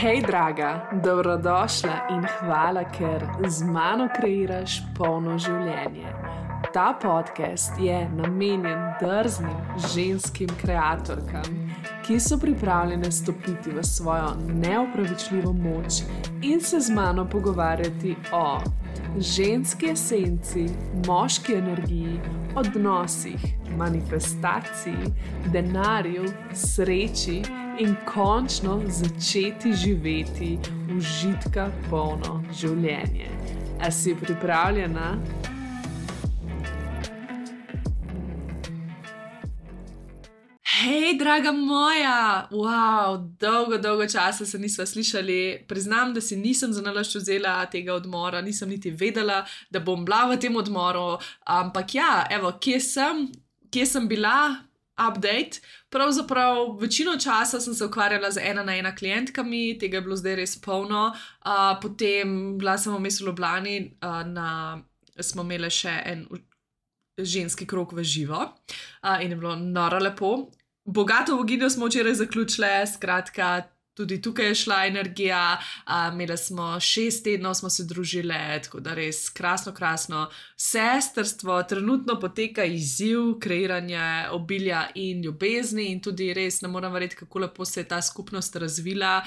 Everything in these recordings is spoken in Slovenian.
Hej, draga, dobrodošla in hvala, ker z mano kreiraš polno življenje. Ta podcast je namenjen drznim ženskim kreatorkam, ki so pripravljene stopiti v svojo neopravičljivo moč in se z mano pogovarjati o ženski esenci, moški energiji, odnosih, manifestaciji, denarju, sreči in končno začeti živeti užitka polno življenje. A si pripravljena? Hej, draga moja! Wow, dolgo časa se nisva slišali. Priznam, da si nisem zanalašč vzela tega odmora, nisem niti vedela, da bom bila v tem odmoru. Ampak ja, evo, kje sem bila? Update. Pravzaprav večino časa sem se ukvarjala z 1-na-1 klientkami, tega je bilo zdaj res polno. Potem bila sem vmes v Ljubljani, smo imeli še en ženski krog v živo in je bilo noro lepo. Bogato boginjo smo včeraj zaključile, skratka, tudi tukaj je šla energija, imeli smo 6 tednov, smo se družile, tako da res krasno. Sestrstvo, trenutno poteka izziv kreiranja obilja in ljubezni in tudi res ne moram verjeti, kako lepo se je ta skupnost razvila.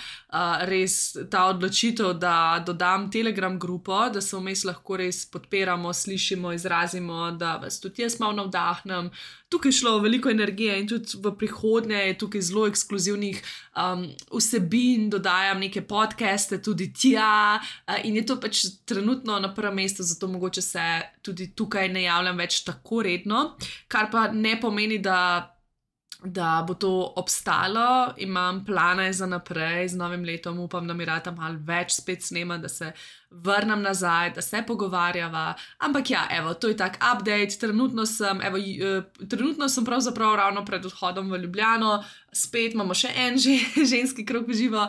Res ta odločitev, da dodam Telegram grupo, da se vmes lahko res podpiramo, slišimo, izrazimo, da vas tudi jaz malo navdahnem. Tukaj je šlo veliko energije in tudi v prihodnje je tukaj zelo ekskluzivnih vsebin, dodajam neke podcaste tudi tja in je to pač trenutno na prvem mestu, zato mogoče se tudi tukaj ne javljam več tako redno, kar pa ne pomeni, da bo to obstalo. Imam plane za naprej, z novim letom upam, da mi rata malo več spet snema, da se vrnem nazaj, da se pogovarjava, ampak ja, evo, to je tak update, trenutno sem pravzaprav ravno pred odhodom v Ljubljano, spet imamo še en ženski krog v živo,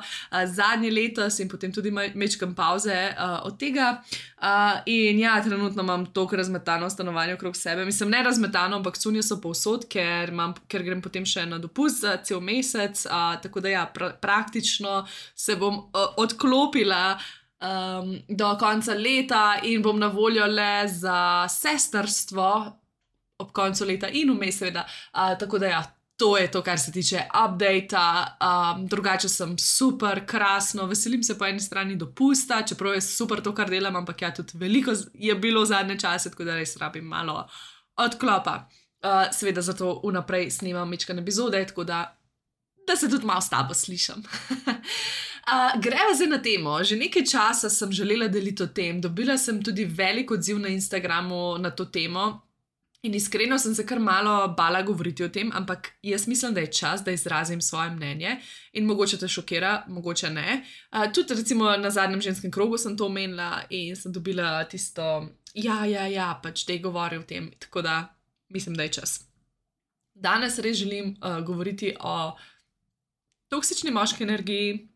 zadnji letos in potem tudi mečkam pauze od tega in ja, trenutno imam toliko razmetano stanovanje okrog sebe, mislim ne razmetano, ampak cunje so povsod, ker grem potem še na dopust za cel mesec, tako da ja, praktično se bom odklopila do konca leta in bom na voljo le za sestrstvo ob koncu leta in vmes seveda, tako da ja, to je to, kar se tiče updata. Drugače sem super, krasno, veselim se po eni strani dopusta, čeprav je super to, kar delam, ampak ja, tudi veliko je bilo v zadnje čase, tako da res rabim malo odklopa. Seveda zato vnaprej snimam mečkane epizode, tako da se tudi malo s tabo slišam. Greva zdaj na temo. Že nekaj časa sem želela deliti o tem, dobila sem tudi velik odziv na Instagramu na to temo in iskreno sem se kar malo bala govoriti o tem, ampak jaz mislim, da je čas, da izrazim svoje mnenje in mogoče te šokira, mogoče ne. Tudi recimo na zadnjem ženskem krogu sem to omenila in sem dobila tisto, ja, pač dej govori o tem, tako da mislim, da je čas. Danes res želim govoriti o toksični moški energiji,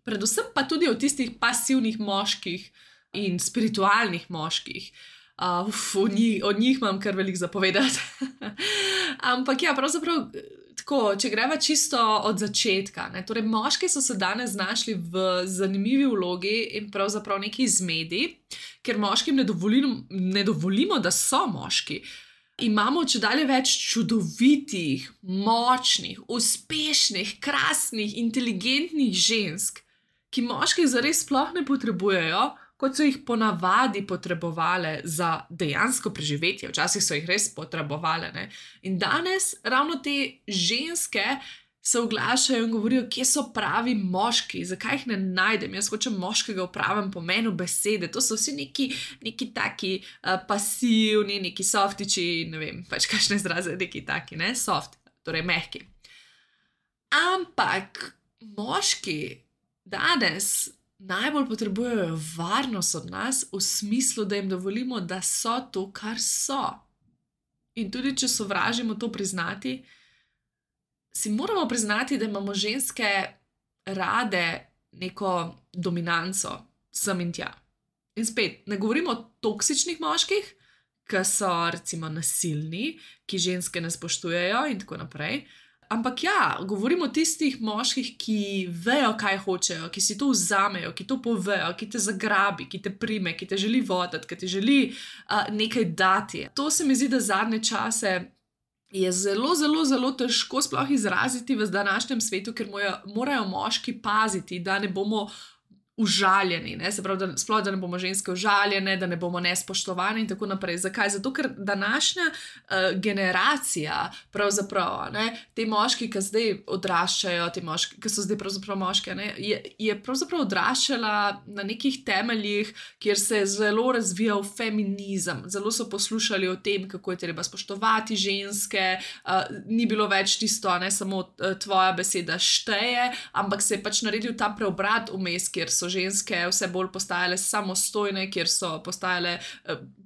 predvsem pa tudi o tistih pasivnih moških in spiritualnih moških. O njih imam kar veliko zapovedati. Ampak ja, pravzaprav tako, če greva čisto od začetka, ne, torej moški so se danes znašli v zanimivi vlogi in pravzaprav neki zmedi, ker moškim ne dovolimo, da so moški. Imamo čedalje več čudovitih, močnih, uspešnih, krasnih, inteligentnih žensk, ki moških zares sploh ne potrebujejo, kot so jih ponavadi potrebovale za dejansko preživetje. Včasih so jih res potrebovale, ne. In danes ravno te ženske se oglašajo in govorijo, kje so pravi moški, zakaj jih ne najdem. Jaz hočem moškega v pravem pomenu besede. To so vsi neki taki pasivni, neki softiči, ne vem, pač kakšne izraze, neki taki, ne, soft, torej mehki. Ampak moški danes najbolj potrebujejo varnost od nas v smislu, da jim dovolimo, da so to, kar so. In tudi, če sovražimo to priznati, si moramo priznati, da imamo ženske rade neko dominanco sem in tja. In spet, ne govorimo o toksičnih moških, ki so recimo nasilni, ki ženske ne spoštujejo in tako naprej. Ampak ja, govorimo o tistih moških, ki vejo, kaj hočejo, ki si to vzamejo, ki to povejo, ki te zagrabi, ki te prime, ki te želi voditi, ki ti želi nekaj dati. To se mi zdi, da zadnje čase je zelo, zelo, zelo težko sploh izraziti v današnjem svetu, ker morajo moški paziti, da ne bomo užaljeni, ne? Se pravi, da ne bomo ženske užaljene, da ne bomo nespoštovane in tako naprej. Zakaj? Zato, ker današnja generacija, pravzaprav, te moški, ki zdaj odraščajo, te moški, ki so zdaj pravzaprav moške, je pravzaprav odraščala na nekih temeljih, kjer se je zelo razvijal feminizem. Zelo so poslušali o tem, kako je treba spoštovati ženske, ni bilo več tisto, ne samo tvoja beseda šteje, ampak se je pač naredil ta preobrat vmes, kjer so ženske vse bolj postajale samostojne, kjer so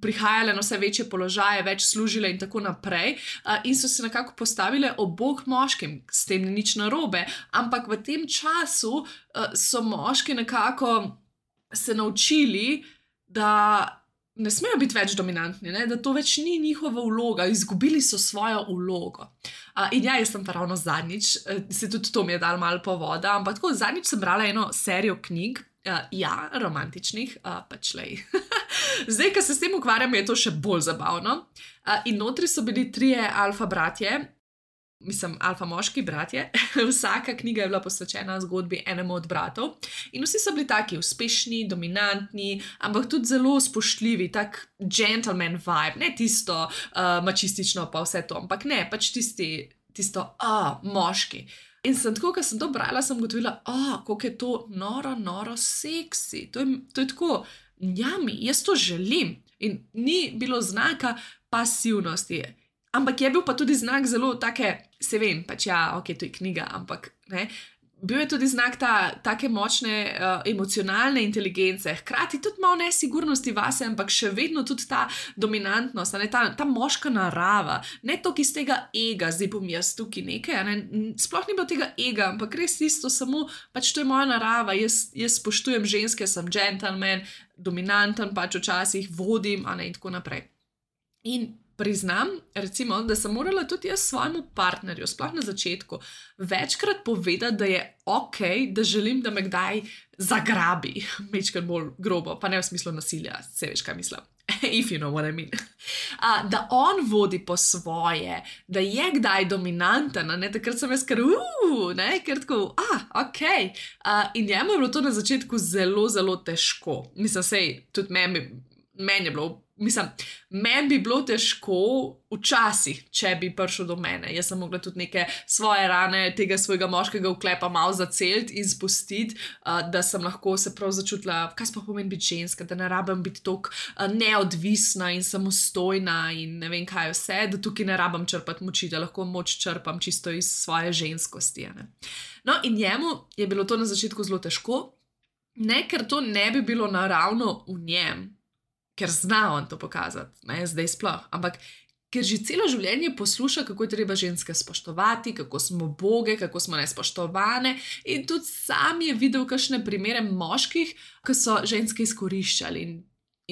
prihajale na vse večje položaje, več služile in tako naprej, in so se nekako postavile ob bok moškim. S tem ni nič narobe, ampak v tem času so moški nekako se naučili, da ne smejo biti več dominantni, da to več ni njihova vloga, izgubili so svojo vlogo. In ja, jaz sem pa ravno zadnjič, se tudi to mi je dal malo povoda, ampak tako zadnjič sem brala eno serijo knjig, romantičnih, pač lej. Zdaj, ko se s tem ukvarjam, je to še bolj zabavno. In notri so bili 3 alfa bratje, alfa moški bratje, vsaka knjiga je bila posvečena zgodbi enemu od bratov in vsi so bili taki uspešni, dominantni, ampak tudi zelo spoštljivi, tak gentleman vibe, ne tisto mačistično pa vse to, ampak ne, pač tisto moški. In sem tako, ko sem to brala, sem ugotovila, koliko je to noro seksi, to je tako, njami, jaz to želim in ni bilo znaka pasivnosti. Ampak je bil pa tudi znak zelo take, se vem, pač ja, ok, to je knjiga, ampak ne, bil je tudi znak take močne emocionalne inteligence, hkrati tudi malo nesigurnosti vase, ampak še vedno tudi ta dominantnost, ta moška narava, ne toliko iz tega ega, zdaj bom jaz tukaj nekaj, sploh ni bilo tega ega, ampak res isto, samo pač to je moja narava, jaz spoštujem ženske, sem gentleman, dominanten, pač včasih vodim, in tako naprej. In priznam, recimo, da sem morala tudi jaz svojemu partnerju, sploh na začetku, večkrat povedati, da je ok, da želim, da me kdaj zagrabi, majčkrat bolj grobo, pa ne v smislu nasilja, se veš, kaj mislim. If you know what I mean. Da on vodi po svoje, da je kdaj dominanten, takrat sem jaz ker tako, ok. In njemu je bilo to na začetku zelo, zelo težko. Mislim, sej, tudi meni je bilo, meni bi bilo težko včasih, če bi prišel do mene. Jaz sem mogla tudi neke svoje rane, tega svojega moškega vklepa malo zaceliti in spustiti, da sem lahko se prav začutila, kaj sploh pomeni biti ženska, da ne rabim biti toliko neodvisna in samostojna in ne vem kaj vse, da tukaj ne rabim črpati moči, da lahko moč črpam čisto iz svoje ženskosti. No, in njemu je bilo to na začetku zelo težko, ne ker to ne bi bilo naravno v njem, ker zna on to pokazati, zdaj sploh, ampak ker že celo življenje posluša, kako je treba ženske spoštovati, kako smo boge, kako smo nespoštovane in tudi sam je videl kakšne primere moških, ki so ženske izkoriščali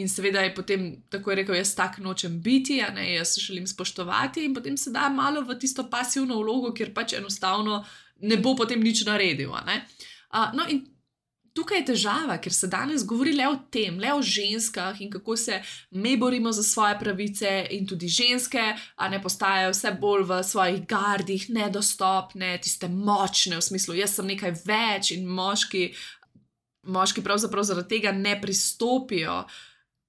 in seveda je potem tako je rekel, jaz tak nočem biti, jaz želim spoštovati in potem se da malo v tisto pasivno vlogo, kjer pač enostavno ne bo potem nič naredil. No in tukaj je težava, ker se danes govori le o tem, le o ženskah in kako se me borimo za svoje pravice in tudi ženske, postajajo vse bolj v svojih gardih, nedostopne, tiste močne, v smislu, jaz sem nekaj več in moški pravzaprav zaradi tega ne pristopijo,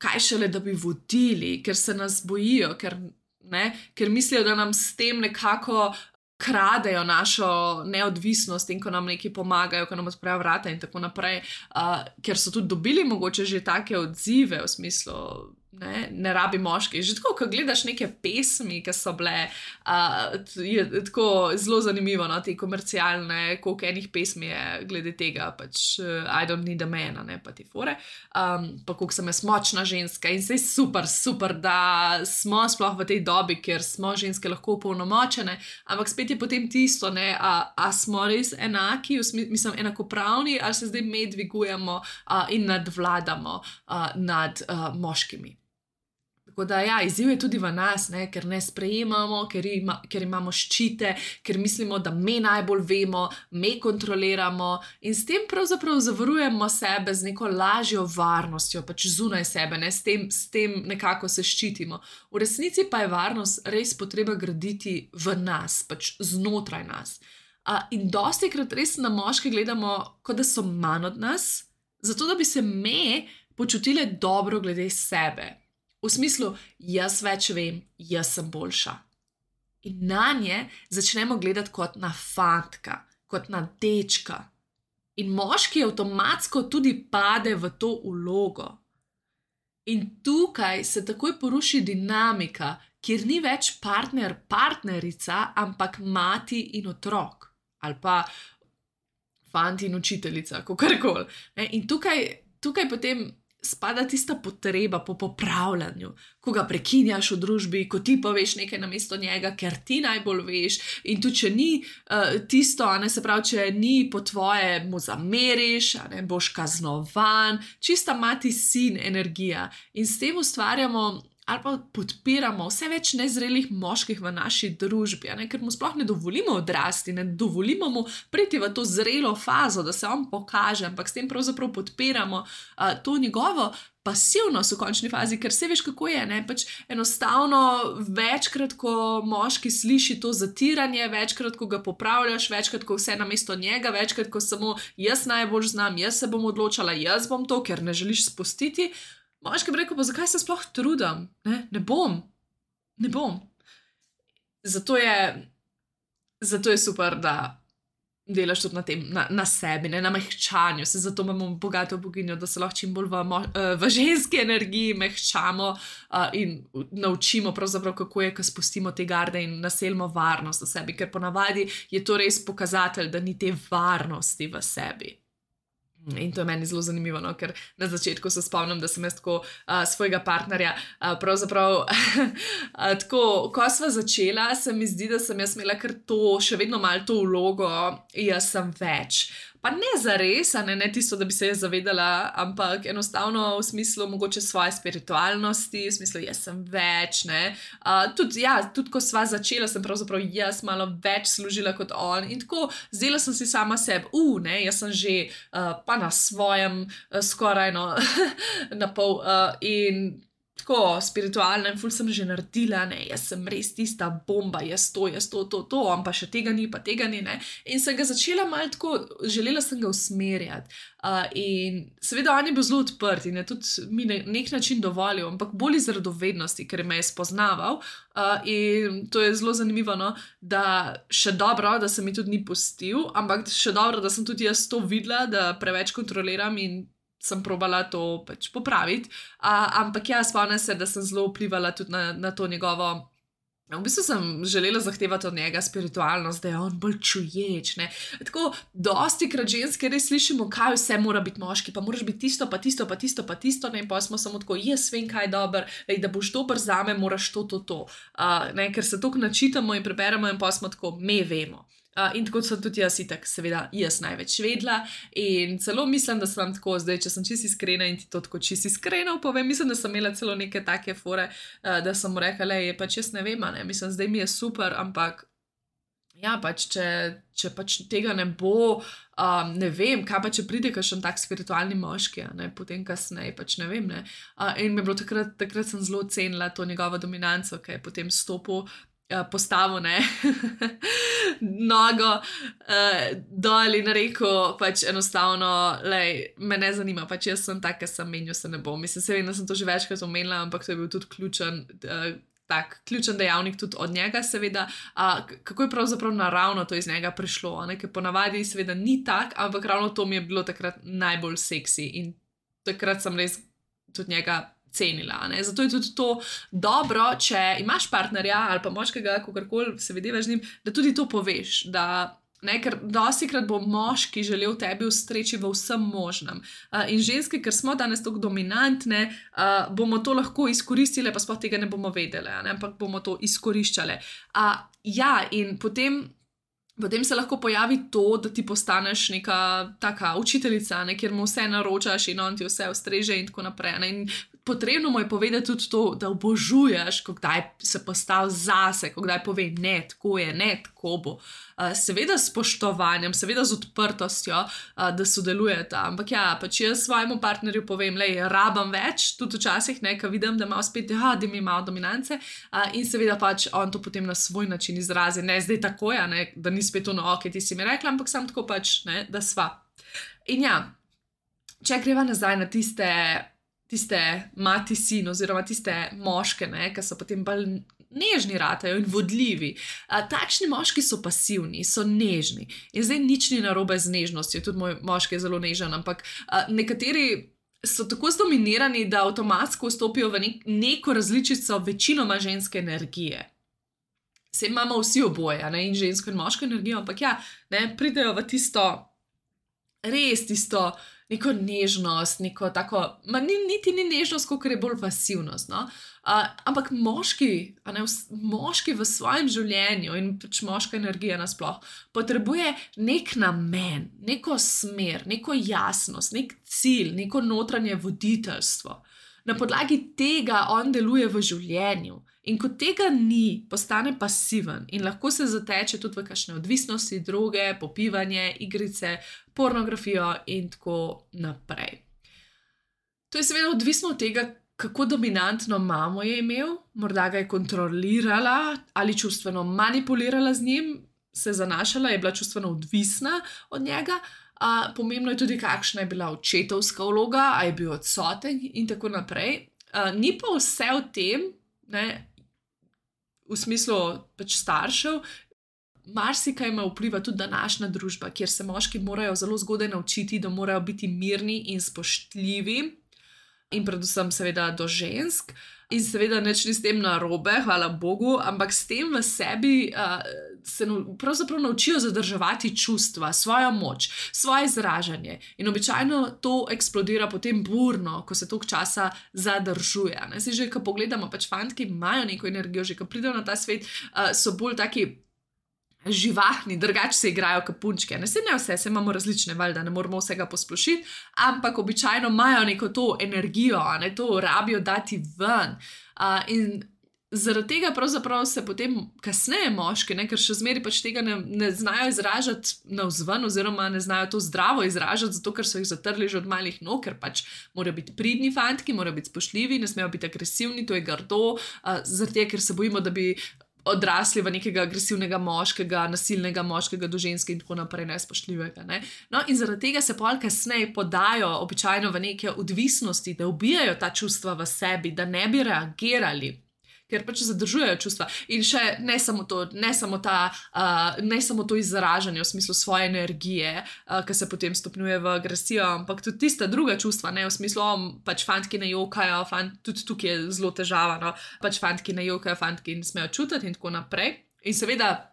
kaj šele, da bi vodili, ker se nas bojijo, ker mislijo, da nam s tem nekako kradejo našo neodvisnost in ko nam nekaj pomagajo, ko nam odprejo vrata in tako naprej, ker so tudi dobili mogoče že take odzive v smislu, ne rabi moški. Že tako, ko gledaš neke pesmi, ki so bile, je tako zelo zanimivo, te komercialne, koliko enih pesmi je glede tega, pač I don't need a man, pa ti fore, pa koliko sem jaz močna ženska in sej super, da smo sploh v tej dobi, ker smo ženske lahko opolnomočene, ampak spet je potem tisto, a smo res enaki, mislim enakopravni, ali se zdaj me dvigujemo in nadvladamo nad moškimi. Tako da, ja, izziv je tudi v nas, ne, ker ne sprejemamo, ker imamo ščite, ker mislimo, da mi najbolj vemo, mi kontroliramo in s tem pravzaprav zavarujemo sebe z neko lažjo varnostjo, pač zunaj sebe, ne, s tem nekako se ščitimo. V resnici pa je varnost res potreba graditi v nas, pač znotraj nas. In dostikrat res na moške gledamo, kot da so manj od nas, zato da bi se me počutile dobro glede sebe. V smislu, jaz več vem, jaz sem boljša. In na nje začnemo gledati kot na fantka, kot na dečka. In moški avtomatsko tudi pade v to vlogo. In tukaj se takoj poruši dinamika, kjer ni več partner, partnerica, ampak mati in otrok. Ali pa fant in učiteljica, kakorkoli. In tukaj potem spada tista potreba po popravljanju, ko ga prekinjaš v družbi, ko ti poveš nekaj namesto njega, ker ti najbolj veš, in tudi če ni tisto, se pravi, če ni po tvoje, mu zameriš, boš kaznovan, čista mati sin energija. In s tem ustvarjamo ali pa podpiramo vse več nezrelih moških v naši družbi, ker mu sploh ne dovolimo odrasti, ne dovolimo mu priti v to zrelo fazo, da se on pokaže, ampak s tem pravzaprav podpiramo to njegovo pasivnost v končni fazi, ker se veš, kako je, pač enostavno večkrat, ko moški sliši to zatiranje, večkrat, ko ga popravljaš, večkrat, ko vse namesto njega, večkrat, ko samo jaz najbolj znam, jaz se bom odločala, jaz bom to, ker ne želiš spustiti, moški bi rekel, pa zakaj se sploh trudim? Ne bom. Zato je super, da delaš tudi na tem, na sebi, na mehčanju. Zato imamo bogato boginjo, da se lahko čim bolj v ženski energiji mehčamo in naučimo pravzaprav, kako je, ko spustimo te garde in naselimo varnost v sebi, ker ponavadi je to res pokazatelj, da ni te varnosti v sebi. In to je meni zelo zanimivo, ker na začetku se spomnim, da sem jaz tako svojega partnerja pravzaprav tako, ko sva začela, se mi zdi, da sem jaz imela kar to, še vedno malo to vlogo, jaz sem več. Pa ne zares, ne tisto, da bi se jaz zavedala, ampak enostavno v smislu mogoče svoje spiritualnosti, v smislu jaz sem več, Tudi ko sva začela, sem pravzaprav jaz malo več služila kot on in tako zdela sem si sama sebi, jaz sem že pa na svojem skoraj na pol in tako spiritualna in ful sem že naredila, jaz sem res tista bomba, jaz to, on pa še tega ni, pa tega ni, in sem ga začela malo tako, želela sem ga usmerjati. In seveda on je bil zelo odprt in je tudi mi nek način dovolil, ampak bolj iz radovednosti, ker me je spoznaval in to je zelo zanimivo, da še dobro, da se mi tudi ni pustil, ampak še dobro, da sem tudi jaz to videla, da preveč kontroliram in sem probala to pač popraviti, ampak spomnim se, da sem zelo vplivala tudi na to njegovo, v bistvu sem želela zahtevati od njega spiritualnost, da je on bolj čuječ, Tako, dostikrat ženske res slišimo, kaj vse mora biti moški, pa moraš biti tisto, pa tisto, pa tisto, pa tisto, in pa smo samo tako, jaz vem, kaj je dober, da boš dober zame, moraš to. Ker se toliko načitamo in preberemo in pa smo tako, me vemo. In tako sem tudi jaz itak, seveda, jaz največ vedela in celo mislim, da sem tako zdaj, če sem čisto iskrena in ti to tako čisto iskreno povem, mislim, da sem imela celo neke take fore, da sem mu rekla, pač jaz ne vem, mislim, zdaj mi je super, ampak pač, če pač tega ne bo, ne vem, kaj pa če pride kakšen tak spiritualni moški, potem kasneje, pač ne vem, in mi je bilo takrat sem zelo cenila to njegovo dominanco, ki je potem stopil, postavil, nogo dol in rekel, pač enostavno, me ne zanima, pač jaz sem tak, ker sem menil, se ne bom. Mislim, se vem, da sem to že večkrat omenila, ampak to je bil tudi ključen dejavnik tudi od njega, seveda, kako je pravzaprav naravno to iz njega prišlo, ker ponavadi seveda ni tak, ampak ravno to mi je bilo takrat najbolj seksi in takrat sem res tudi njega cenila. Zato je tudi to dobro, če imaš partnerja ali pa moškega, kakorkoli se vedevaš z njim, da tudi to poveš, ker dostikrat bo moški želel tebi ustreči v vsem možnem. In ženske, ker smo danes tako dominantne, bomo to lahko izkoristile, pa sploh tega ne bomo vedele, ampak bomo to izkoriščale. In potem se lahko pojavi to, da ti postaneš neka taka učiteljica, kjer mu vse naročaš in on ti vse ustreže in tako naprej. In potrebno mu je povedati tudi to, da obožuješ, ko kdaj se postavi zase, ko kdaj pove ne, tako je, ne, tako bo. Seveda s spoštovanjem, seveda z odprtostjo, da sodelujeta. Ampak ja, pač jaz svojemu partnerju povem, lej, rabam več, tudi včasih, ko vidim, da ima spet, da mi malo dominance, in seveda pač on to potem na svoj način izrazi. Ne zdaj tako, ja, ne, da ni spet ono, ok, ti si mi rekla, ampak sam tako pač, ne, da sva. In ja, če greva nazaj na tiste mati-sin oziroma tiste moške, ki so potem bolj nežni ratajo in vodljivi. Takšni moški so pasivni, so nežni. In zdaj nič ni narobe z nežnostjo, tudi moj moški je zelo nežen, ampak nekateri so tako zdominirani, da avtomatsko vstopijo v neko različico večinoma ženske energije. Saj imamo vsi oboje, ne, in žensko in moško energijo, ampak ja, ne, pridejo v tisto neko nežnost, neko tako, niti ni nežnost, kot je bolj pasivnost, no? Ampak moški v svojem življenju in pač moška energija nasploh potrebuje nek namen, neko smer, neko jasnost, nek cilj, neko notranje voditeljstvo. Na podlagi tega on deluje v življenju. In ko tega ni, postane pasiven in lahko se zateče tudi v kakšne odvisnosti, droge, popivanje, igrice, pornografijo in tako naprej. To je seveda odvisno od tega, kako dominantno mamo je imel, morda ga je kontrolirala ali čustveno manipulirala z njim, se zanašala, je bila čustveno odvisna od njega. Pomembno je tudi, kakšna je bila očetovska vloga, a je bil odsoten in tako naprej. Ni pa vse v tem, ne, v smislu pač staršev, marsikaj ima vpliva tudi današnja družba, kjer se moški morajo zelo zgodaj naučiti, da morajo biti mirni in spoštljivi in predvsem seveda do žensk. In seveda nič ni s tem narobe, hvala Bogu, ampak s tem v sebi se pravzaprav naučijo zadrževati čustva, svojo moč, svoje izražanje. In običajno to eksplodira potem burno, ko se toliko časa zadržuje. Se že, ko pogledamo, pač fantki imajo neko energijo, že ko pridejo na ta svet, so bolj taki živahni, drugače se igrajo kot punčke. Ne vse, se imamo različne, valjda, ne moramo vsega posplošiti, ampak običajno imajo neko to energijo, ne, to rabijo dati ven. In zaradi tega pravzaprav se potem kasneje moški, ne, ker še zmeraj pač tega ne znajo izražati navzven oziroma ne znajo to zdravo izražati, zato ker so jih zatrli že od malih nog, ker pač morajo biti pridni fantki, morajo biti spoštljivi, ne smejo biti agresivni, to je grdo, zaradi tega, ker se bojimo, da bi odrasli v nekega agresivnega moškega, nasilnega moškega do ženske in tako naprej, nespoštljivega. Ne? No, in zaradi tega se pol kasneje podajo običajno v neke odvisnosti, da ubijajo ta čustva v sebi, da ne bi reagirali, ker pač zadržujejo čustva. In še ne samo to izražanje v smislu svoje energije, ki se potem stopnjuje v agresijo, ampak tudi tista druga čustva, ne v smislu, pač fantki ne jokajo, tudi tukaj je zelo težava, no, pač fantki ne jokajo, fantki ne smejo čutiti in tako naprej. In seveda,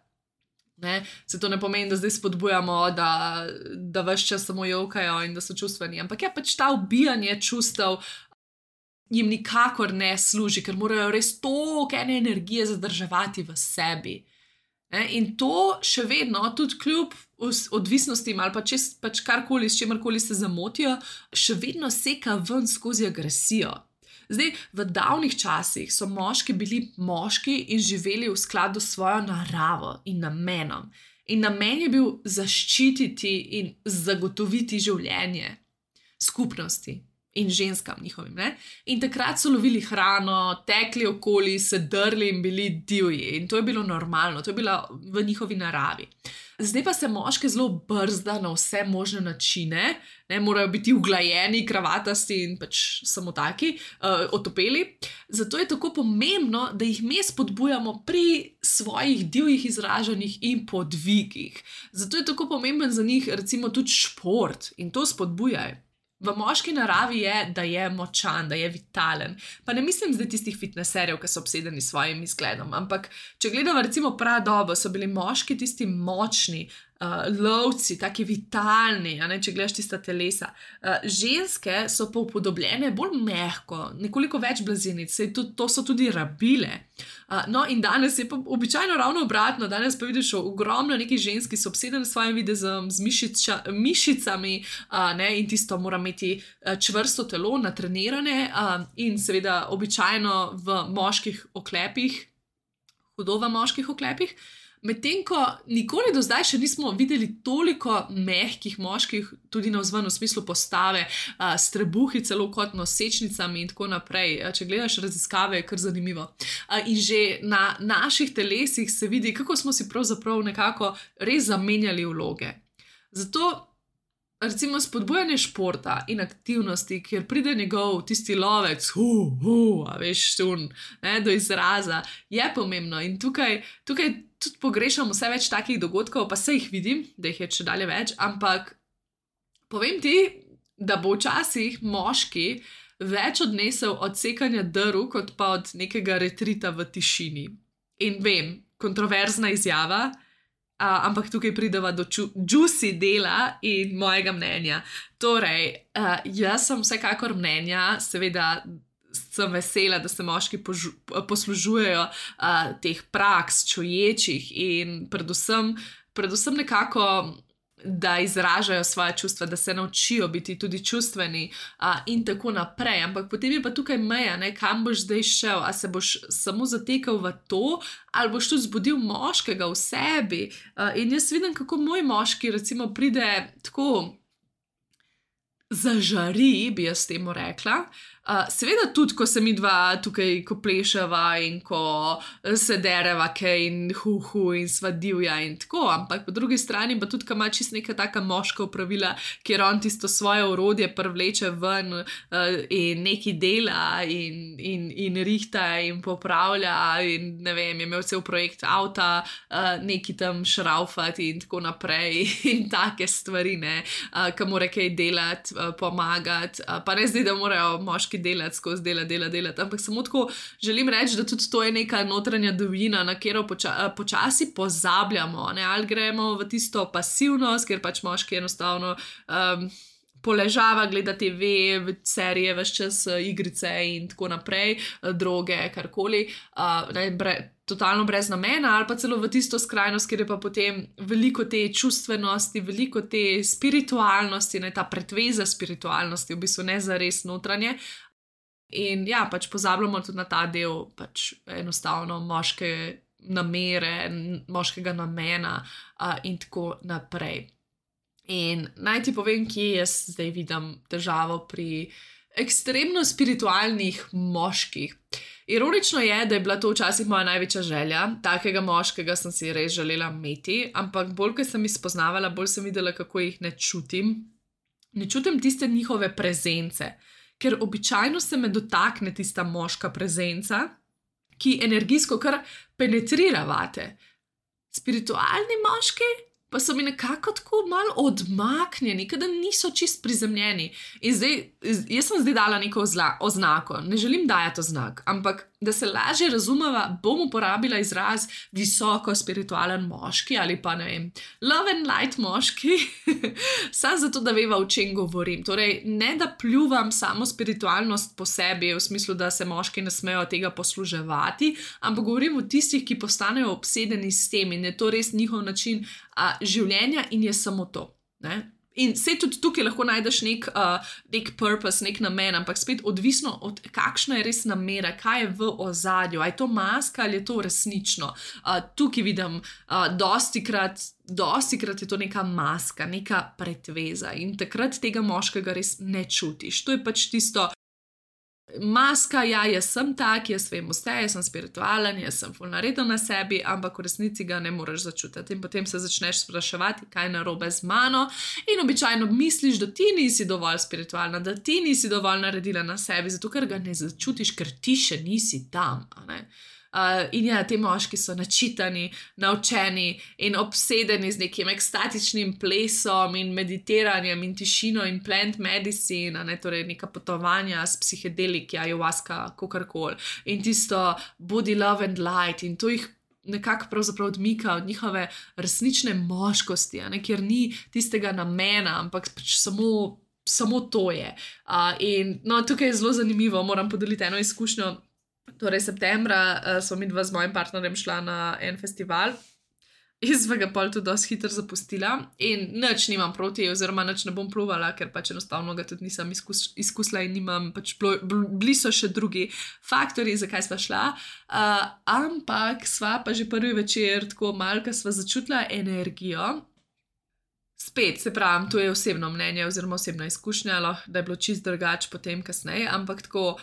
ne, se to ne pomeni, da zdaj spodbujamo, da ves čas samo jokajo in da so čustveni, ampak ja, pač ta ubijanje čustev jim nikakor ne služi, ker morajo res toliko ene energije zadrževati v sebi. In to še vedno, tudi kljub odvisnostim ali pač karkoli, s čemarkoli se zamotijo, še vedno seka ven skozi agresijo. Zdaj, v davnih časih so moški bili moški in živeli v skladu s svojo naravo in namenom. In namen je bil zaščititi in zagotoviti življenje skupnosti in ženskam njihovim, ne? In takrat so lovili hrano, tekli okoli, se drli in bili divji. In to je bilo normalno, to je bilo v njihovi naravi. Zdaj pa se moške zelo brzda na vse možne načine, ne, morajo biti uglajeni, kravatasti in pač samo taki, otopeli. Zato je tako pomembno, da jih mi spodbujamo pri svojih divjih izražanjih in podvigih. Zato je tako pomemben za njih recimo tudi šport in to spodbujaj. V moški naravi je, da je močan, da je vitalen. Pa ne mislim zdaj tistih fitneserjev, ki so obsedeni s svojim izgledom, ampak če gledamo recimo pradobo, so bili moški tisti močni, lovci, taki vitalni, če gledaš tista telesa. Ženske so pa upodobljene bolj mehko, nekoliko več blazinic, to so tudi rabile. No, in danes je pa običajno ravno obratno, danes pa vidiš ogromno nekih žensk, ki so obsedene s svojim videzom, z mišicami, in tisto mora imeti čvrsto telo, natrenirane, in seveda običajno v moških oklepih, hudo v moških oklepih. Medtem ko nikoli do zdaj še nismo videli toliko mehkih moških, tudi navzven v smislu postave, s trebuhi celo kot nosečnicami in tako naprej. Če gledaš raziskave, je kar zanimivo. In že na naših telesih se vidi, kako smo si pravzaprav nekako res zamenjali vloge. Zato recimo spodbujanje športa in aktivnosti, kjer pride njegov tisti lovec, do izraza, je pomembno. In tukaj tudi pogrešam vse več takih dogodkov, pa se jih vidim, da jih je še dalje več, ampak povem ti, da bo včasih moški več odnesel od sekanja drv, kot pa od nekega retrita v tišini. In vem, kontroverzna izjava, ampak tukaj prideva do juicy dela in mojega mnenja. Torej, jaz sem vsekakor mnenja, seveda sem vesela, da se moški poslužujejo teh praks čuječih in predvsem nekako, da izražajo svoje čustva, da se naučijo biti tudi čustveni in tako naprej. Ampak potem je pa tukaj meja, kam boš zdaj šel, a se boš samo zatekal v to, ali boš tudi zbudil moškega v sebi. In jaz vidim, kako moj moški recimo pride tako zažari, bi jaz temu rekla. Seveda tudi, ko se mi dva tukaj ko pleševa in ko se dereva kaj in in sva divja in tako, ampak po drugi strani pa tudi, ko ima čist neka taka moška opravila, kjer on tisto svoje orodje privleče ven in neki dela in rihta in popravlja in ne vem, je imel cel projekt avta, neki tam šraufati in tako naprej in take stvari, ko mora kaj delati, pomagati, pa ne zdi, da morajo moški delati skozi delati, ampak samo tako želim reči, da tudi to je neka notranja divjina, na katero počasi pozabljamo, ali gremo v tisto pasivnost, kjer pač moški enostavno poležava, gleda TV, serije, ves čas igrice in tako naprej, droge, karkoli, totalno brez namena, ali pa celo v tisto skrajnost, kjer je pa potem veliko te čustvenosti, veliko te spiritualnosti, ta pretveza spiritualnosti, v bistvu ne zares notranje. In ja, pač pozabljamo tudi na ta del, pač enostavno moške namere, moškega namena in tako naprej. In naj ti povem, kje jaz zdaj vidim težavo pri ekstremno spiritualnih moških. Ironično je, da je bila to včasih moja največja želja, takega moškega sem si res želela imeti, ampak bolj, ko sem jih spoznavala, bolj sem videla, kako jih ne čutim. Ne čutim tiste njihove prezence, ker običajno se me dotakne tista moška prezenca, ki energijsko kar penetrira vate. Spiritualni moški pa so mi nekako tako malo odmaknjeni, da niso čist prizemljeni. In zdaj, jaz sem zdaj dala neko oznako, ne želim dajati oznak, ampak da se lažje razumeva, bom uporabila izraz visoko spiritualen moški ali pa ne vem, love and light moški, samo zato, da veva, o čem govorim. Torej, ne da pljuvam samo spiritualnost po sebi, v smislu, da se moški ne smejo tega posluževati, ampak govorim o tistih, ki postanejo obsedeni s tem in je to res njihov način življenja in je samo to. In se tudi tukaj lahko najdeš nek purpose, nek namen, ampak spet odvisno od kakšna je res namera, kaj je v ozadju, ali je to maska ali je to resnično. Tukaj vidim, dostikrat je to neka maska, neka pretveza in takrat tega moškega res ne čutiš. To je pač tisto maska, ja, jaz sem tak, jaz vem vse, jaz sem spiritualen, jaz sem ful nareden na sebi, ampak v resnici ga ne moreš začutiti. In potem se začneš spraševati, kaj je narobe z mano in običajno misliš, da ti nisi dovolj spiritualna, da ti nisi dovolj naredila na sebi, zato ker ga ne začutiš, ker ti še nisi tam, in ja, te moški so načitani, naučeni in obsedeni z nekim ekstatičnim plesom in meditiranjem in tišino in plant medicine, torej neka potovanja s psihedeliki, ayahuasca, kakorkoli. In tisto body love and light in to jih nekako pravzaprav odmika od njihove resnične moškosti, kjer ni tistega namena, ampak pač samo to je. In no, tukaj je zelo zanimivo, moram podeliti eno izkušnjo. Torej, septembra smo mi dva z mojim partnerjem šla na en festival. Jaz sva ga pol tudi dosti hitro zapustila in nič nimam proti, oziroma nič ne bom pluvala, ker pač enostavno ga tudi nisem izkusila in nimam, pač bili so še drugi faktori, zakaj sva šla, ampak sva pa že prvi večer tako malka sva začutila energijo. Spet, se pravim, to je osebno mnenje oziroma osebna izkušnja, da je bilo čist drugače potem kasneje, ampak tako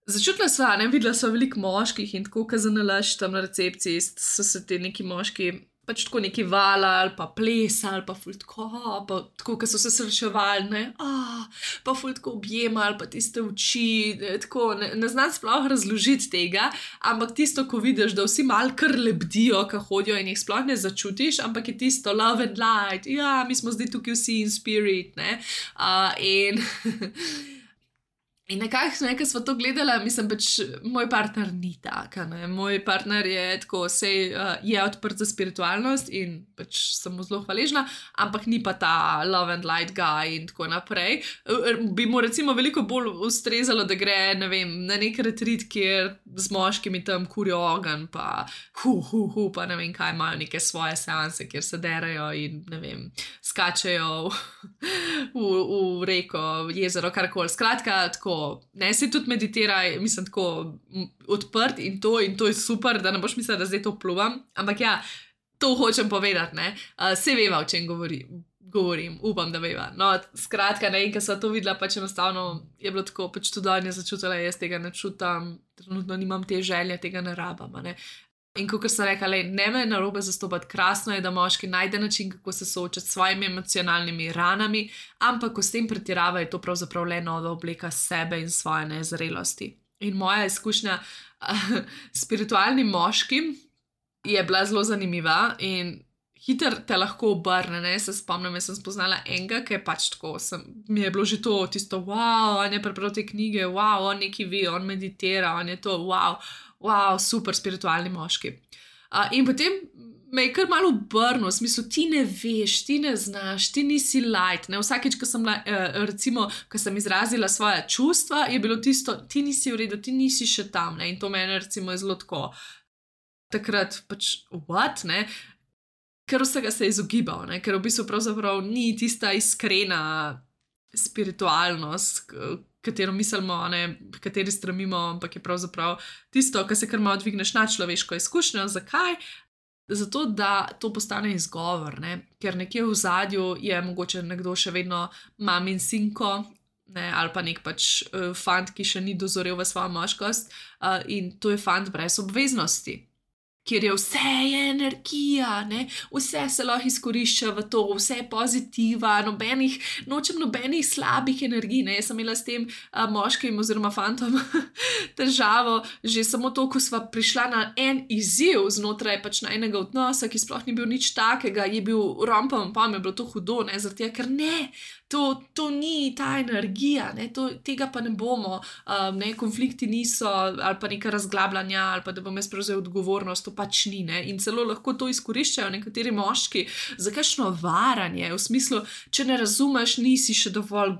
začutila sva, videla sva veliko moških in tako, kazanalaš tam na recepciji, so se te neki moški pač tako neki valali, pa plesali, pa ful tako, ko so se srečevali, pa ful tako objemali, pa tiste oči, tako, ne znam sploh razložiti tega, ampak tisto, ko vidiš, da vsi mal kar lebdijo, ko hodijo in jih sploh ne začutiš, ampak je tisto love and light, ja, mi smo zdaj tukaj vsi in spirit, In nekako, ko smo to gledali, mislim, pač moj partner ni tak, moj partner je tako, je odprt za spiritualnost in pač sem mu zelo hvaležna, ampak ni pa ta love and light guy in tako naprej. Bi mu recimo veliko bolj ustrezalo, da gre, ne vem, na nek retreat, kjer z moškimi tam kurijo ogenj, pa pa ne vem kaj, imajo neke svoje seanse, kjer se derajo in ne vem, skačejo v reko, jezero, karkoli. Skratka, tako, ne, se tudi meditiraj, mislim, tako odprt in to je super, da ne boš mislila, da zdaj to pluvam, ampak ja, to hočem povedati, se veva, o čem govorim, upam, da veva. No, skratka, ko sva to videla, pač enostavno je bilo tako, pač tudi on je začutila, jaz tega ne čutam, trenutno nimam te želje, tega ne rabam, In kot sem rekla, ne me narobe zastopati, krasno je, da moški najde način, kako se soočati s svojimi emocionalnimi ranami, ampak ko s tem pretirava, je to pravzaprav le nova obleka sebe in svoje nezrelosti. In moja izkušnja s spiritualnim moškim je bila zelo zanimiva in hitro te lahko obrne, se spomnim, jaz sem spoznala enega, ki je pač tako, mi je bilo že to tisto, wow, on je prebral te knjige, wow, on nekaj ve, on meditira, on je to, wow, super spiritualni moški. In potem me je kar malo obrnil, v smislu, ti ne veš, ti ne znaš, ti nisi light, vsakeč, ko sem recimo, ko sem izrazila svoja čustva, je bilo tisto, ti nisi v redu, ti nisi še tam, in to mene recimo je zelo tako, takrat pač, what, ker vsega se je izogibal, ker v bistvu pravzaprav ni tista iskrena spiritualnost, katero mislimo, kateri stremimo, ampak je pravzaprav tisto, kar se kar malo dvigneš na človeško izkušnjo. Zakaj? Zato, da to postane izgovor, ker nekje v zadju je mogoče nekdo še vedno mamin sinko, ali pa nek pač fant, ki še ni dozorel v svojo moškost, in to je fant brez obveznosti. Kjer je vse je energija, vse se lahko izkorišča v to, vse je pozitiva, nočem nobenih slabih energij, Jaz sem imela s tem moškim oziroma fantom težavo, že samo to, ko sva prišla na en izziv znotraj pač najnega odnosa, ki sploh ni bil nič takega, je bil rompam, pa mi je bilo to hudo, zaradi tega, ker to ni ta energija, tega pa ne bomo, konflikti niso, ali pa neka razglabljanja, ali pa da bom jaz prevzel odgovornost, to pač ni, in celo lahko to izkoriščajo nekateri moški za kakšno varanje, v smislu, če ne razumeš, nisi še dovolj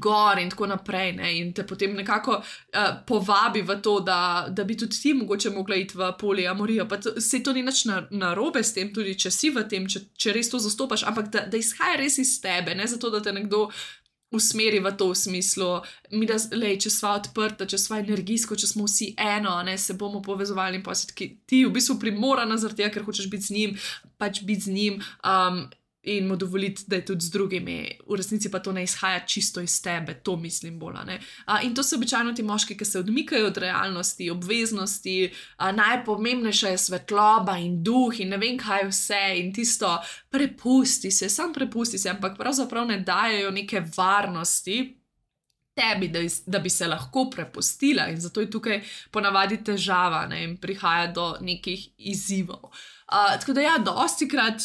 gor in tako naprej, in te potem nekako povabi v to, da bi tudi ti mogoče mogla iti v poliamorijo, pa se to ni nič narobe s tem, tudi če si v tem, če res to zastopaš, ampak da izhaja res iz tebe, zato da te nekdo usmeri v to v smislu, če sva odprta, če sva energijsko, če smo vsi eno, se bomo povezovali in pa si ti v bistvu primorana zaradi tega, ker hočeš biti z njim, pač biti z njim, in mu dovoliti, da je tudi z drugimi. V resnici pa to ne izhaja čisto iz tebe, to mislim bolj. In to so običajno ti moški, ki se odmikajo od realnosti, obveznosti, najpomembnejša je svetloba in duh in ne vem kaj vse in tisto prepusti se, ampak pravzaprav ne dajejo neke varnosti tebi, da bi se lahko prepustila in zato je tukaj ponavadi težava, in prihaja do nekih izzivov. Tako da ja, dostikrat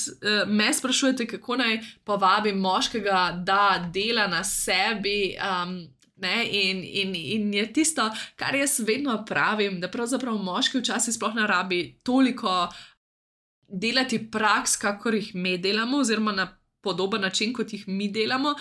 me sprašujete, kako naj povabim moškega, da dela na sebi, Ne? In je tisto, kar jaz vedno pravim, da pravzaprav moški včasih sploh ne rabi toliko delati praks, kakor jih mi delamo, oziroma na podoben način, kot jih mi delamo.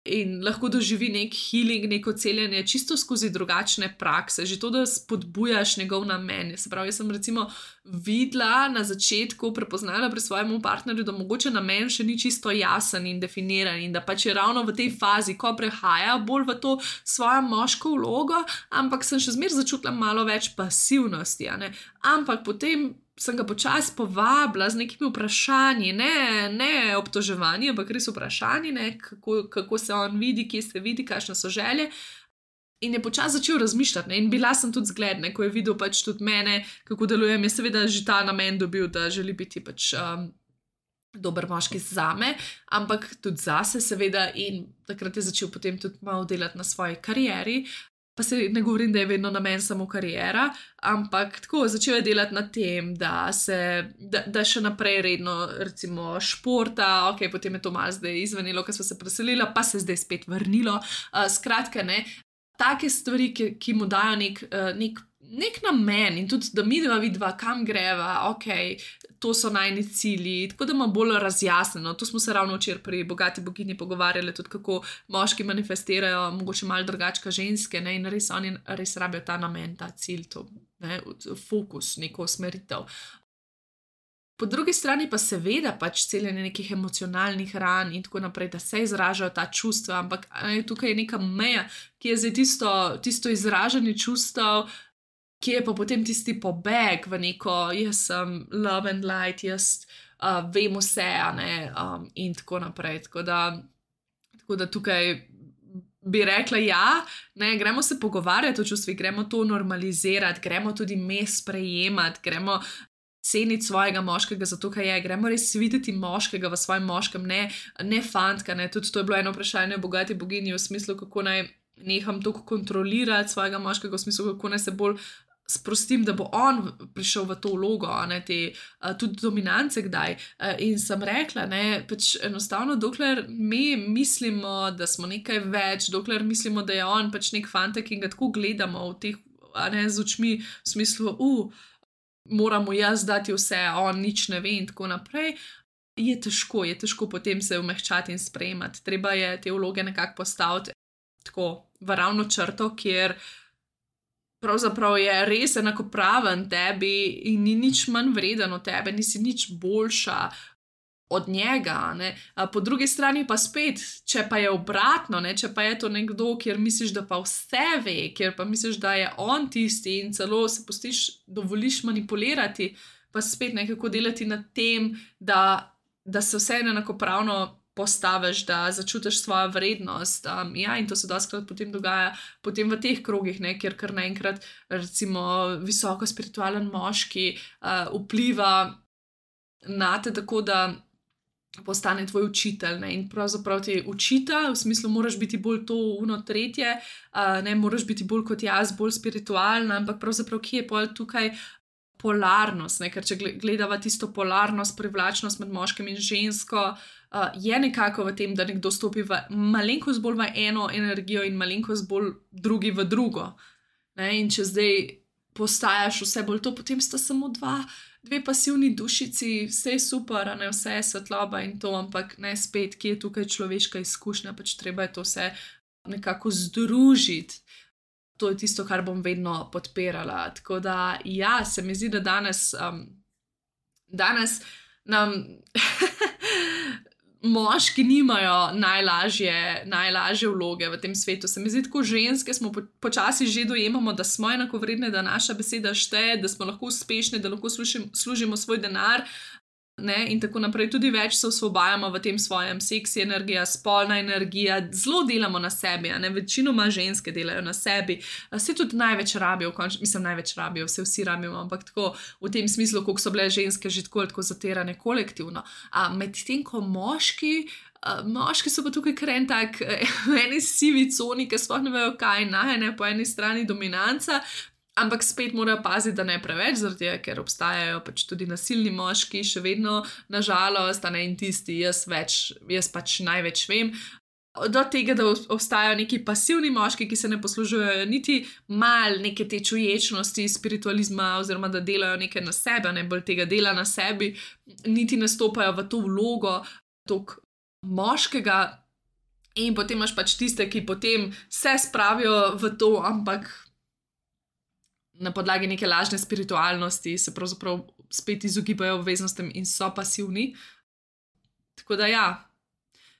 In lahko doživi nek healing, neko celjenje, čisto skozi drugačne prakse, že to, da spodbujaš njegov namen. Se pravi, jaz sem recimo videla na začetku, prepoznala pri svojem partnerju, da mogoče namen še ni čisto jasen in definiran, in da pač je ravno v tej fazi, ko prehaja bolj v to svojo moško vlogo, ampak sem še zmeraj začutila malo več pasivnosti. Ampak potem sem ga počasi povabila z nekimi vprašanji, ne obtoževanji, ampak res vprašanji, kako se on vidi, kje se vidi, kakšne so želje. In je počasi začel razmišljati, in bila sem tudi zgled, ko je videl pač tudi mene, kako delujem. Je seveda že ta namen dobil, da želi biti pač dober moški zame, ampak tudi zase seveda, in takrat je začel potem tudi malo delati na svoji karieri. Pa se ne govorim, da je vedno namen samo karijera, ampak tako začel je delati na tem, da še naprej redno recimo športa, ok, potem je to malo zdaj izvenelo, ko smo se preselili, pa se zdaj spet vrnilo. Skratka, take stvari, ki mu dajo nek namen, in tudi, da mi dva vidva, kam greva, ok, to so najni cilji, tako da ima bolj razjasneno. To smo se ravno včeraj pri Bogati boginji pogovarjali, tudi kako moški manifestirajo, mogoče malo drugače kot ženske, in res oni res rabijo ta namen, ta cilj, to, fokus, neko usmeritev. Po drugi strani pa seveda pač celjenje nekih emocionalnih ran in tako naprej, da se izražajo ta čustva, ampak tukaj je neka meja, ki je zdaj tisto izražanje čustev, ki je pa potem tisti pobeg v neko, jaz sem love and light, jaz vem vse, in tako naprej. Tako da tukaj bi rekla, gremo se pogovarjati o čustvih, gremo to normalizirati, gremo tudi me sprejemati, gremo ceniti svojega moškega za to, kaj je, gremo res videti moškega v svojem moškem, ne fantka, tudi to je bilo eno vprašanje Bogati boginji v smislu, kako naj neham toliko kontrolirati svojega moškega, v smislu, kako naj se bolj sprostim, da bo on prišel v to vlogo, tudi dominance kdaj. In sem rekla, pač enostavno, dokler mi mislimo, da smo nekaj več, dokler mislimo, da je on pač nek fantek in ga tako gledamo v teh, z očmi, v smislu, moramo jaz dati vse, on nič ne ve in tako naprej, je težko potem se umehčati in sprejemati. Treba je te vloge nekako postaviti tako v ravno črto, kjer pravzaprav je res enakopraven tebi in ni nič manj vreden od tebe, nisi nič boljša od njega. Po drugi strani pa spet, če pa je obratno, če pa je to nekdo, kjer misliš, da pa vse ve, kjer pa misliš, da je on tisti in celo se dovoliš manipulirati, pa spet nekako delati na tem, da se vse enakopravno postaviš, da začutiš svojo vrednost. In to se dostikrat potem dogaja potem v teh krogih, kjer kar naenkrat recimo visoko spiritualen moški vpliva nate tako, da postane tvoj učitelj, in pravzaprav ti učita, v smislu moraš biti bolj to, tretje, moraš biti bolj kot jaz, bolj spiritualna, ampak pravzaprav kje je pol tukaj polarnost, ker če gledava tisto polarnost, privlačnost med moškim in žensko, je nekako v tem, da nekdo stopi v malenkost bolj v eno energijo in malenkost bolj drugi v drugo. In če zdaj postajaš vse bolj to, potem sta samo dve pasivni dušici, vse je super, vse je svetloba in to, ampak spet, kje je tukaj človeška izkušnja, pač treba je to vse nekako združiti. To je tisto, kar bom vedno podpirala. Tako da, se mi zdi, da danes nam moški nimajo najlažje vloge v tem svetu. Se mi zdi, tako ženske smo počasi že dojemamo, da smo enakovredne, da naša beseda šteje, da smo lahko uspešne, da lahko služimo svoj denar, in tako naprej. Tudi več se osvobajamo v tem svojem seksi energija, spolna energija, zelo delamo na sebi, večinoma ženske delajo na sebi, se tudi največ rabijo, največ rabijo, vsi rabimo, ampak tako v tem smislu, koliko so bile ženske že tako zatirane kolektivno. Medtem ko moški so pa tukaj kar en tak v eni sivi coni, ki sploh ne vejo, kaj po eni strani dominanca, ampak spet morajo paziti, da ne preveč, zaradi tega, ker obstajajo pač tudi nasilni moški, še vedno, nažalost, in tisti, jaz pač največ vem. do tega, da obstajajo neki pasivni moški, ki se ne poslužujejo niti mal neke te čuječnosti, spiritualizma, oziroma da delajo nekaj na sebe, ne bolj tega dela na sebi, niti ne stopajo v to vlogo tog moškega. In potem imaš pač tiste, ki potem se spravijo v to, ampak na podlagi neke lažne spiritualnosti se pravzaprav spet izogibajo obveznostem in so pasivni. Tako da ja,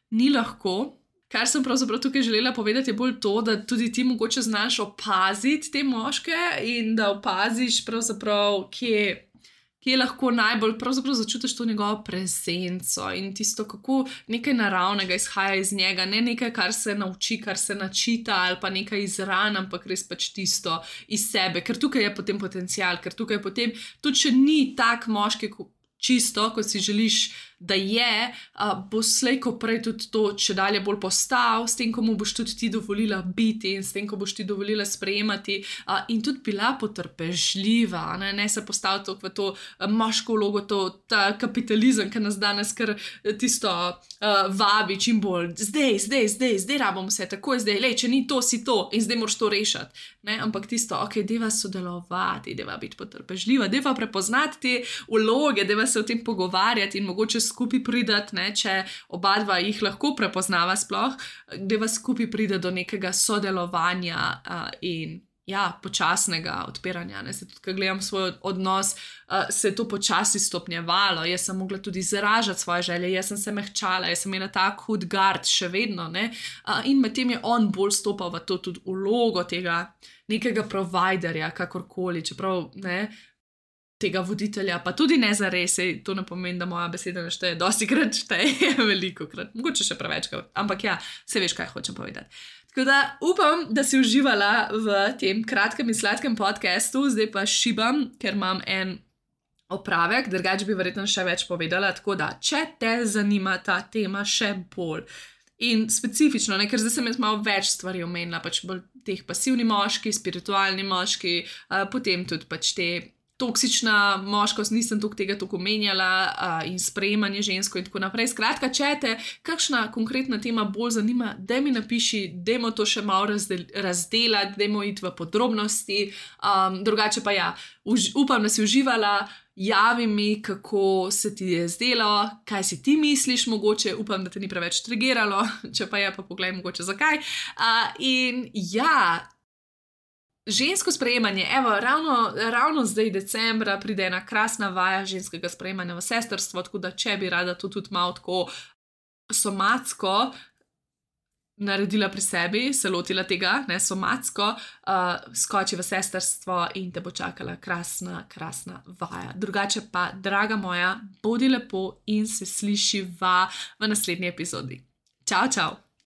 ni lahko. Kar sem pravzaprav tukaj želela povedati, je bolj to, da tudi ti mogoče znaš opaziti te moške in da opaziš pravzaprav, kje lahko najbolj pravzaprav začutiš to njegovo prezenco in tisto, kako nekaj naravnega izhaja iz njega, ne nekaj, kar se nauči, kar se načita ali pa nekaj iz ran, ampak res pač tisto iz sebe, ker tukaj je potem potencial, ker tukaj je potem, tudi če ni tak moški čisto, kot si želiš, da je, bo slej ko prej tudi to, če dalje bolj postal, s tem, ko mu boš tudi ti dovolila biti in s tem, ko boš ti dovolila sprejemati in tudi bila potrpežljiva, ne se postaviti v to moško vlogo, ta kapitalizem, ki nas danes kar tisto vabi čim bolj, zdaj rabimo vse, takoj zdaj, lej, če ni to, si to in zdaj moraš to rešiti, ne, ampak tisto, ok, deva sodelovati, deva biti potrpežljiva, deva prepoznati te vloge, deva se o tem pogovarjati in mogoče skupaj pridati, ne, če oba dva jih lahko prepoznava sploh, deva skupaj pride do nekega sodelovanja in ja, počasnega odpiranja. Ne. Se tudi, ko gledam svoj odnos, se je to počasi stopnjevalo, jaz sem mogla tudi izražati svoje želje, jaz sem se mehčala, jaz sem imela tak hud gard še vedno, ne, in medtem je on bolj stopal v to tudi vlogo tega nekega providerja, kakorkoli, čeprav, ne, tega voditelja, pa tudi ne zares, to ne pomeni, da moja beseda ne šteje, dostikrat šteje, velikokrat, mogoče še prevečkrat, ampak ja, se veš, kaj hočem povedati. Tako da upam, da si uživala v tem kratkem in sladkem podcastu, zdaj pa šibam, ker imam en opravek, drugače bi verjetno še več povedala, tako da, če te zanima ta tema še bolj in specifično, ne, ker zdaj sem jaz malo več stvari omenila, pač bolj teh pasivni moški, spiritualni moški, potem tudi pač te toksična moškost, nisem tega omenjala in sprejemanje žensko in tako naprej. Skratka, če te kakšna konkretna tema bolj zanima, daj mi napiši, dajmo to še malo razdelati, dajmo iti v podrobnosti, drugače pa ja, upam, da si uživala, javi mi, kako se ti je zdelo, kaj si ti misliš mogoče, upam, da te ni preveč triggeralo, če pa je, pa poglej mogoče zakaj. In ja, žensko sprejemanje, evo, ravno zdaj decembra pride ena krasna vaja ženskega sprejemanja v sestrstvo, tako da če bi rada to tudi malo tako somatsko naredila pri sebi, se lotila tega, ne somatsko, skoči v sestrstvo in te bo čakala krasna vaja. Drugače pa, draga moja, bodi lepo in se slišiva v naslednji epizodi. Čau, čau!